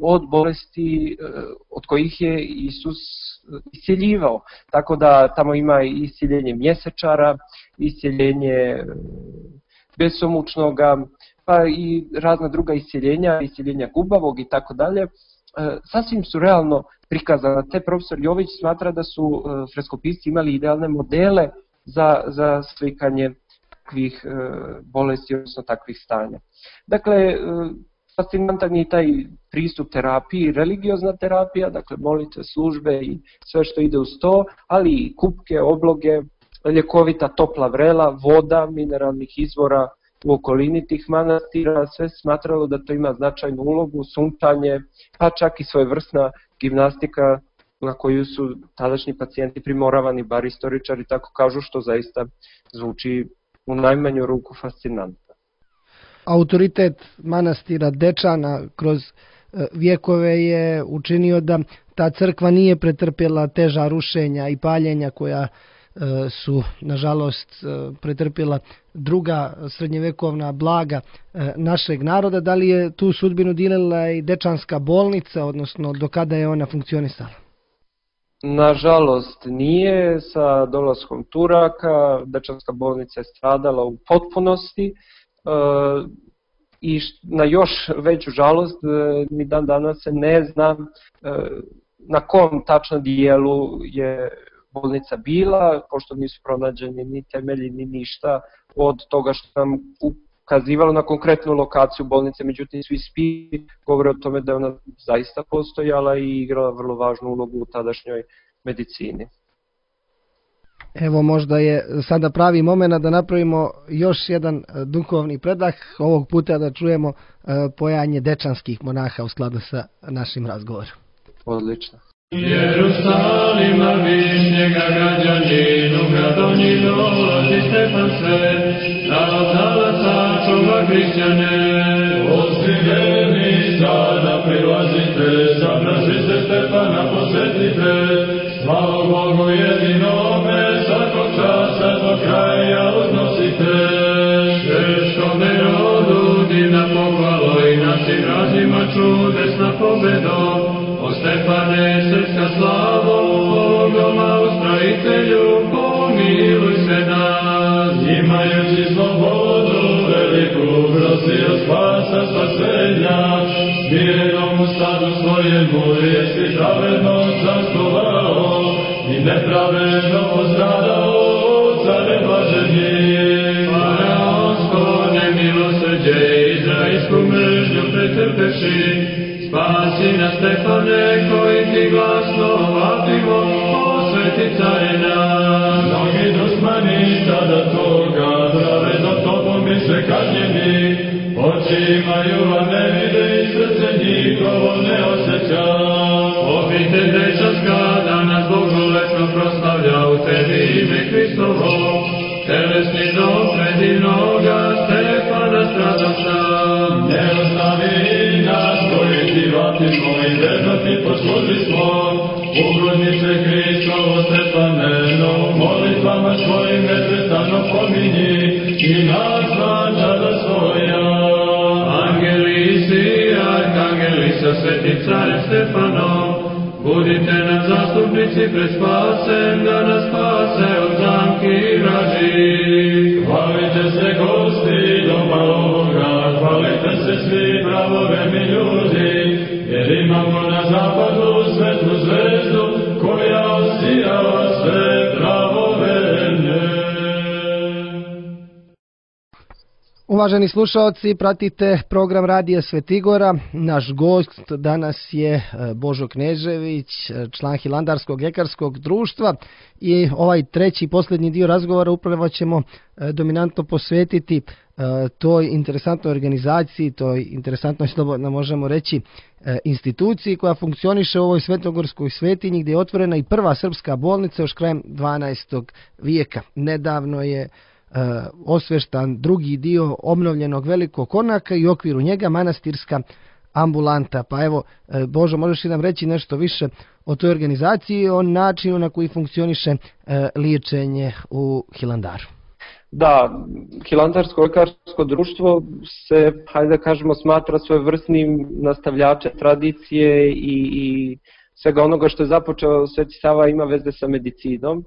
od bolesti od kojih je Isus isceljivao. Tako da tamo ima isceljenje mjesečara, isceljenje besomučnoga, pa i razna druga isceljenja, isceljenja gubavog i tako dalje. Sasvim su realno prikazana. Te profesor Jović smatra da su freskopisci imali idealne modele za, za slikanje takvih bolesti, odnosno takvih stanja. Dakle, fascinantan je taj pristup terapiji, religiozna terapija, dakle molitve, službe i sve što ide uz to, ali i kupke, obloge, ljekovita topla vrela, voda, mineralnih izvora u okolini tih manastira, sve smatralo da to ima značajnu ulogu, sunčanje, pa čak i svojevrsna gimnastika na koju su tadašnji pacijenti primoravani, bar istoričari tako kažu, što zaista zvuči u najmanju ruku fascinantno. Autoritet manastira Dečana kroz vjekove je učinio da ta crkva nije pretrpjela teža rušenja i paljenja koja su, nažalost, pretrpjela druga srednjevekovna blaga našeg naroda. Da li je tu sudbinu dijelila i Dečanska bolnica, odnosno do kada je ona funkcionisala? Nažalost nije. Sa dolaskom Turaka Dečanska bolnica je stradala u potpunosti i na još veću žalost ni dan danas se ne zna na kom tačno dijelu je bolnica bila, pošto nisu pronađeni ni temelji ni ništa od toga što nam ukazivalo na konkretnu lokaciju bolnice, međutim svi spisi govore o tome da je ona zaista postojala i igrala vrlo važnu ulogu u tadašnjoj medicini. Evo, možda je sada pravi moment da napravimo još jedan duhovni predah, ovog puta da čujemo pojanje dečanskih monaha u skladu sa našim razgovorom. Odlično. Jerusalima višnjega građaninu, gradonji dolazi Stefan Svet, narod zalaca čuva hrišćane. Ostiveni sada prilazite, sabraši se Stefana posvetite, slavu Bogu jedinome, svakog časa do kraja uznosite. Češkom nerodu divna pohvalo i našim razima čudesna pobedo. O Stefane, srpska slavo, Bogoma ustrojitelju, pomiluj se nas. Imajući slobodu, veliku prosio spasa spasenja, smirenom u stadu svojemu jesi pravedno zastovao i nepravedno postradao, care blaženi. Faraonsko nemilosrđe, izraelsku mržnju pretrpeši, spasi nas Stefane, koji ti glasno vapimo, osveti carina. Mnogi dusmani tada toga, pravedno tobom bi se kažnjeni, oči imaju, a ne vide i srce njihovo ne osjeća. Obitelj Dečanska danas bogoletno proslavlja u tebi ime Hristovo, telesni dom predivnoga Stefana stradavca. Ne ostavi nas koji ti vapimo i verno ti posluži smo, ugodnice Hristovo Stefane, no molitvama svojim neprestano pominji i nas vančada svoja. Angeli si, arkangeli sa svetim carem Stefanom, budite nam zastupnici pred spasem, da nas spase od zamki vraži. Hvalite se gosti doma ovoga, hvalite se svi pravoverni ljudi, jer imamo na zapadu svetlu zvezdu koja osijava sve pravoverne. Uvaženi slušalci, pratite program Radija Svetigora. Naš gost danas je Božo Knežević, član Hilandarskog ljekarskog društva, i ovaj treći posljednji dio razgovora upravo ćemo dominantno posvetiti toj interesantnoj organizaciji, toj interesantnoj, slobodno možemo reći, instituciji koja funkcioniše u ovoj svetogorskoj svetinji, gdje je otvorena i prva srpska bolnica još krajem dvanaestog vijeka. Nedavno je osveštan drugi dio obnovljenog velikog konaka i u okviru njega manastirska ambulanta. Pa evo, Božo, možeš li nam reći nešto više o toj organizaciji i o načinu na koji funkcioniše liječenje u Hilandaru? Da, Hilandarsko lekarsko društvo se, hajde da kažemo, smatra svojevrsnim nastavljačem tradicije i, i svega onoga što je započeo Sveti Sava ima veze sa medicinom,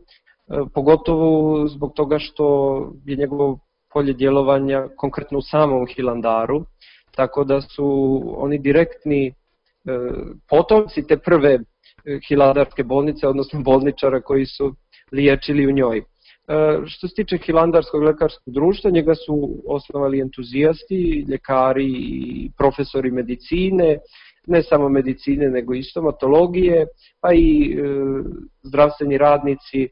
pogotovo zbog toga što je njegovo polje djelovanja konkretno u samom Hilandaru, tako da su oni direktni potomci te prve hilandarske bolnice, odnosno bolničara koji su liječili u njoj. Što se tiče Hilandarskog lekarskog društva, njega su osnovali entuzijasti, ljekari i profesori medicine, ne samo medicine nego i stomatologije, pa i e, zdravstveni radnici e,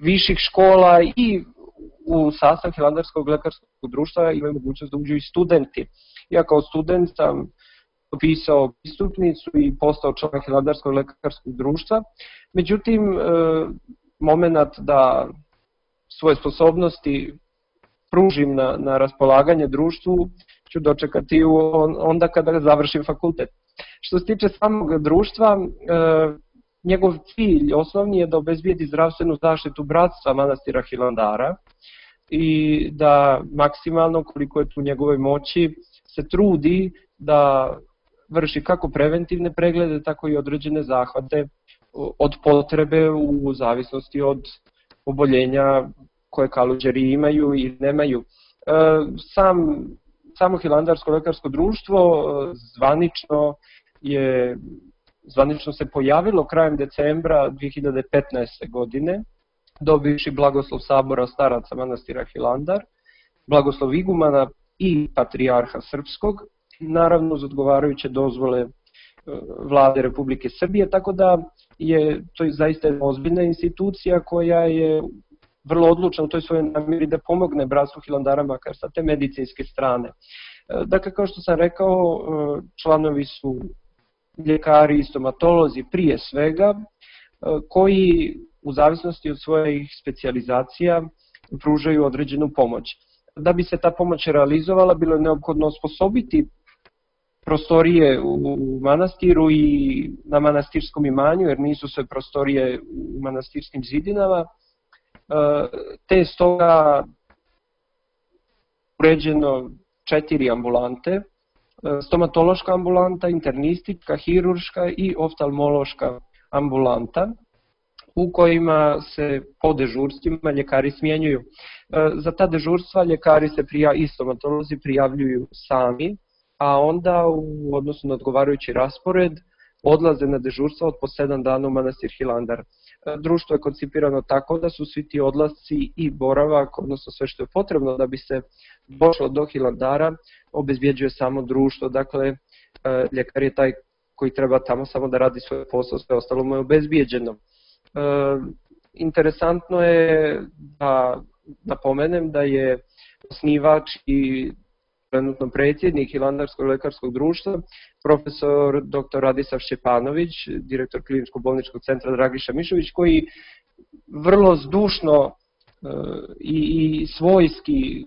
viših škola i u sastav Hilandarskog lekarskog društva imaju mogućnost da uđu i studenti. Ja kao student sam pisao pristupnicu i postao član Hilandarskog lekarskog društva, međutim, e, moment da svoje sposobnosti pružim na, na raspolaganje društvu ću dočekati u, onda kada završim fakultet. Što se tiče samog društva, e, njegov cilj osnovni je da obezbijedi zdravstvenu zaštitu bratstva manastira Hilandara i da maksimalno, koliko je tu njegovoj moći, se trudi da vrši kako preventivne preglede, tako i određene zahvate od potrebe u zavisnosti od oboljenja koje kaluđeri imaju i nemaju. Sam, samo Hilandarsko lekarsko društvo zvanično je zvanično se pojavilo krajem decembra dve hiljade petnaeste. godine, dobivši blagoslov sabora staraca manastira Hilandar, blagoslov igumana i patrijarha srpskog, naravno uz odgovarajuće dozvole vlade Republike Srbije, tako da je to zaista jedna ozbiljna institucija koja je vrlo odlučna u toj svojoj namjeri da pomogne bratstvu Hilandara makar sa te medicinske strane. Dakle, kao što sam rekao, članovi su ljekari i stomatolozi prije svega, koji u zavisnosti od svojih specijalizacija pružaju određenu pomoć. Da bi se ta pomoć realizovala, bilo je neophodno osposobiti prostorije u manastiru i na manastirskom imanju, jer nisu sve prostorije u manastirskim zidinama, te stoga uređeno četiri ambulante, stomatološka ambulanta, internistička, hirurška i oftalmološka ambulanta, u kojima se po dežurstvima ljekari smjenjuju. Za ta dežurstva ljekari se prija, i stomatolozi prijavljuju sami, a onda u odnosu na odgovarajući raspored odlaze na dežurstva od po sedam dana u manastir Hilandar. Društvo je koncipirano tako da su svi ti odlasci i boravak, odnosno sve što je potrebno da bi se došlo do Hilandara, obezbjeđuje samo društvo. Dakle, ljekar je taj koji treba tamo samo da radi svoj posao, sve ostalo mu je obezbjeđeno. Interesantno je da napomenem da je osnivač i trenutno predsjednik Hilandarskog lekarskog društva, profesor doktor Radislav Šćepanović, direktor Kliničko-bolničkog centra Dragiša Mišović, koji vrlo zdušno i, i svojski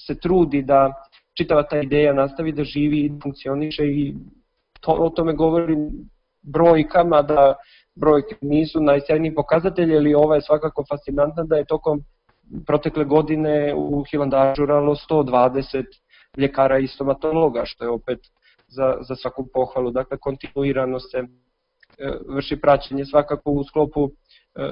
se trudi da čitava ta ideja nastavi da živi i funkcioniše, i to, o tome govorim brojkama, da brojke nisu najsjajniji pokazatelji, ali ova je svakako fascinantna da je tokom protekle godine u Hilandaru žuralo sto dvadeset ljekara i stomatologa, što je opet za, za svaku pohvalu. Dakle, kontinuirano se e, vrši praćenje, svakako u sklopu, e,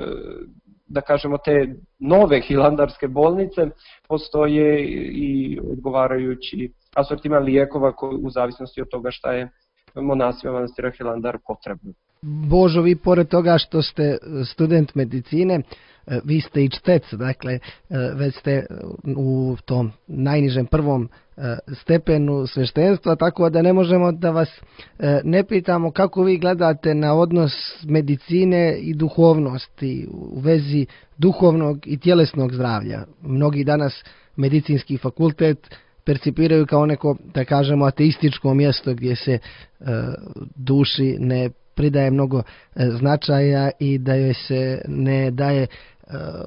da kažemo, te nove hilandarske bolnice postoje i odgovarajući asortiman lijekova koji, u zavisnosti od toga šta je monasima manastira Hilandar potrebno. Božo, vi pored toga što ste student medicine, vi ste i čtec, dakle već ste u tom najnižem prvom stepenu sveštenstva, tako da ne možemo da vas ne pitamo kako vi gledate na odnos medicine i duhovnosti u vezi duhovnog i tjelesnog zdravlja. Mnogi danas medicinski fakultet percipiraju kao neko, da kažemo, ateističko mjesto gdje se duši ne pridaje mnogo značaja i da joj se ne daje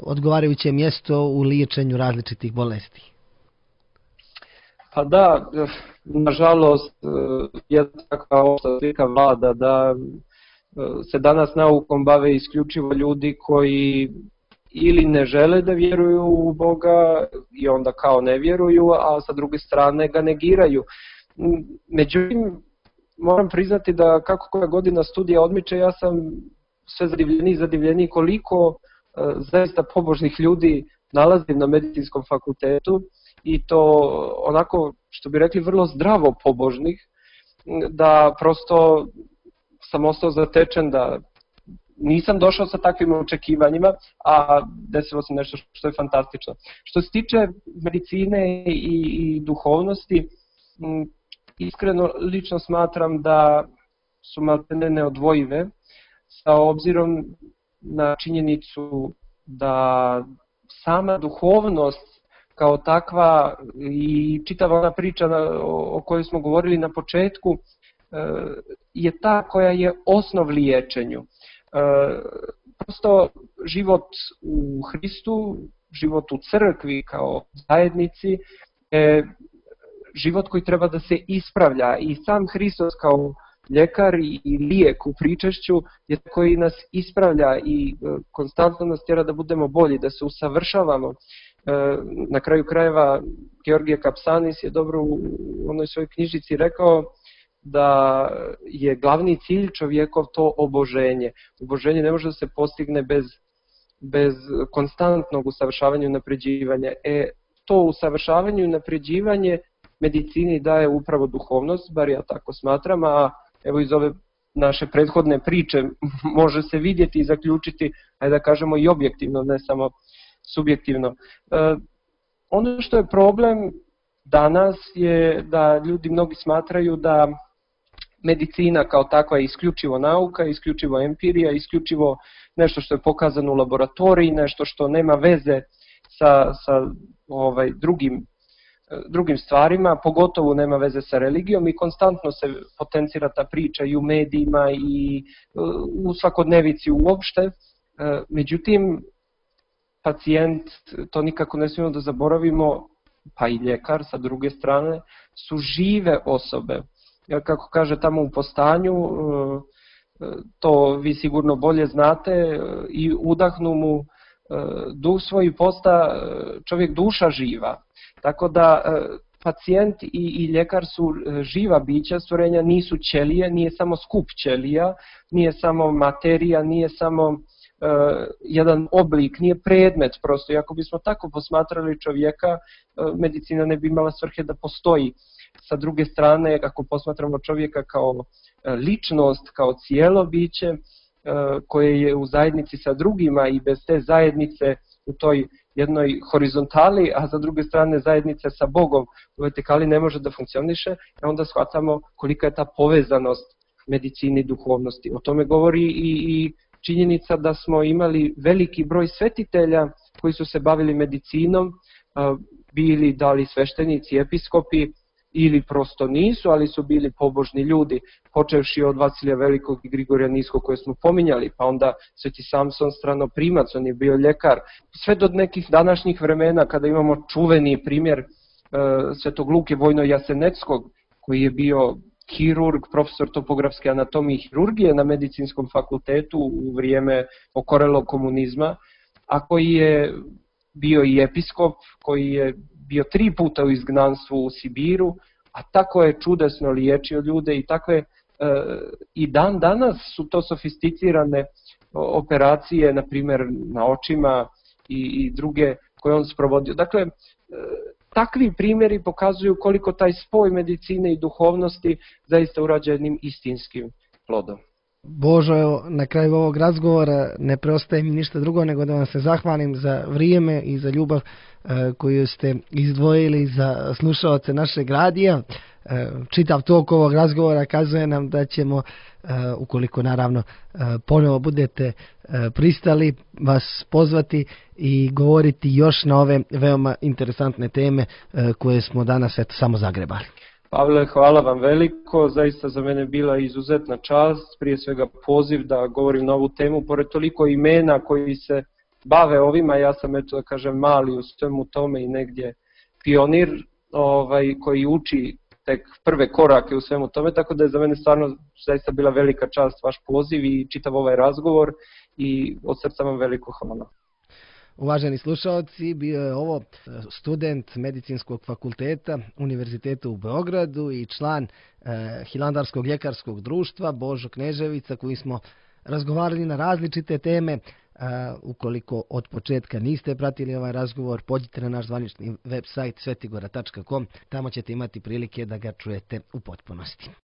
odgovarajuće mjesto u liječenju različitih bolesti. Pa da, nažalost, jedna takva opšta slika vlada da se danas naukom bave isključivo ljudi koji ili ne žele da vjeruju u Boga i onda kao ne vjeruju, a sa druge strane ga negiraju. Međutim, moram priznati da kako koja godina studija odmiče, ja sam sve zadivljeniji i zadivljeniji koliko zaista pobožnih ljudi nalazim na medicinskom fakultetu i to onako, što bi rekli, vrlo zdravo pobožnih, da prosto sam ostao zatečen da nisam došao sa takvim očekivanjima, a desilo se nešto što je fantastično. Što se tiče medicine i, i duhovnosti, iskreno lično smatram da su maltene neodvojive, sa obzirom na činjenicu da sama duhovnost kao takva i čitava ona priča o kojoj smo govorili na početku je ta koja je osnov liječenju. Prosto život u Hristu, život u crkvi kao zajednici je život koji treba da se ispravlja i sam Hristos kao ljekar i lijek u pričešću je koji nas ispravlja i konstantno nas tjera da budemo bolji, da se usavršavamo. Na kraju krajeva Georgije Kapsanis je dobro u onoj svojoj knjižici rekao da je glavni cilj čovjekov to oboženje. Oboženje ne može da se postigne bez, bez konstantnog usavršavanja i napređivanja. E, to usavršavanje i napređivanje medicini daje upravo duhovnost, bar ja tako smatram, a evo iz ove naše prethodne priče može se vidjeti i zaključiti, ajde da kažemo i objektivno, ne samo subjektivno. E, ono što je problem danas je da ljudi mnogi smatraju da medicina kao takva je isključivo nauka, isključivo empirija, isključivo nešto što je pokazano u laboratoriji, nešto što nema veze sa, sa ovaj, drugim, drugim stvarima, pogotovo nema veze sa religijom i konstantno se potencira ta priča i u medijima i u svakodnevici uopšte. Međutim, pacijent, to nikako ne smijemo da zaboravimo, pa i ljekar sa druge strane, su žive osobe. Kako kaže tamo u Postanju, to vi sigurno bolje znate, i udahnu mu duh svoj i posta čovjek duša živa. Tako da pacijent i, i ljekar su živa bića stvorenja, nisu ćelije, nije samo skup ćelija, nije samo materija, nije samo uh, jedan oblik, nije predmet prosto. I ako bismo tako posmatrali čovjeka, uh, medicina ne bi imala svrhe da postoji. Sa druge strane, ako posmatramo čovjeka kao ličnost, kao cijelo biće koje je u zajednici sa drugima i bez te zajednice u toj jednoj horizontali, a za druge strane zajednice sa Bogom u vertikali ne može da funkcioniše, onda shvatamo kolika je ta povezanost medicine i duhovnosti. O tome govori i, i činjenica da smo imali veliki broj svetitelja koji su se bavili medicinom, bili da li sveštenici, episkopi, ili prosto nisu, ali su bili pobožni ljudi, počevši od Vasilija Velikog i Grigorija Niskog koje smo pominjali, pa onda Sveti Samson Stranoprimac, on je bio ljekar, sve do nekih današnjih vremena kada imamo čuveni primjer e, Svetog Luke Vojno-Jaseneckog, koji je bio hirurg, profesor topografske anatomije i hirurgije na medicinskom fakultetu u vrijeme okorelog komunizma, a koji je bio i episkop, koji je bio tri puta u izgnanstvu u Sibiru, a tako je čudesno liječio ljude i tako je, e, i dan danas su to sofisticirane operacije, na primjer na očima i, i druge koje on sprovodio. Dakle, e, takvi primjeri pokazuju koliko taj spoj medicine i duhovnosti zaista urađa jednim istinskim plodom. Božo, evo, na kraju ovog razgovora ne preostaje mi ništa drugo nego da vam se zahvalim za vrijeme i za ljubav e, koju ste izdvojili za slušaoce našeg radija. E, čitav tok ovog razgovora kazuje nam da ćemo, e, ukoliko naravno e, ponovo budete e, pristali, vas pozvati i govoriti još na ove veoma interesantne teme e, koje smo danas eto, samo zagrebali. Pavle, hvala vam veliko, zaista za mene bila izuzetna čast, prije svega poziv da govorim na ovu temu, pored toliko imena koji se bave ovima, ja sam eto da kažem mali u svemu tome i negdje pionir ovaj, koji uči tek prve korake u svemu tome, tako da je za mene stvarno zaista bila velika čast vaš poziv i čitav ovaj razgovor i od srca vam veliko hvala. Uvaženi slušalci, bio je ovo student Medicinskog fakulteta Univerziteta u Beogradu i član eh, Hilandarskog ljekarskog društva Božo Kneževica, koji smo razgovarali na različite teme. Uh, ukoliko od početka niste pratili ovaj razgovor, pođite na naš zvanični web sajt svetigora tačka com, tamo ćete imati prilike da ga čujete u potpunosti.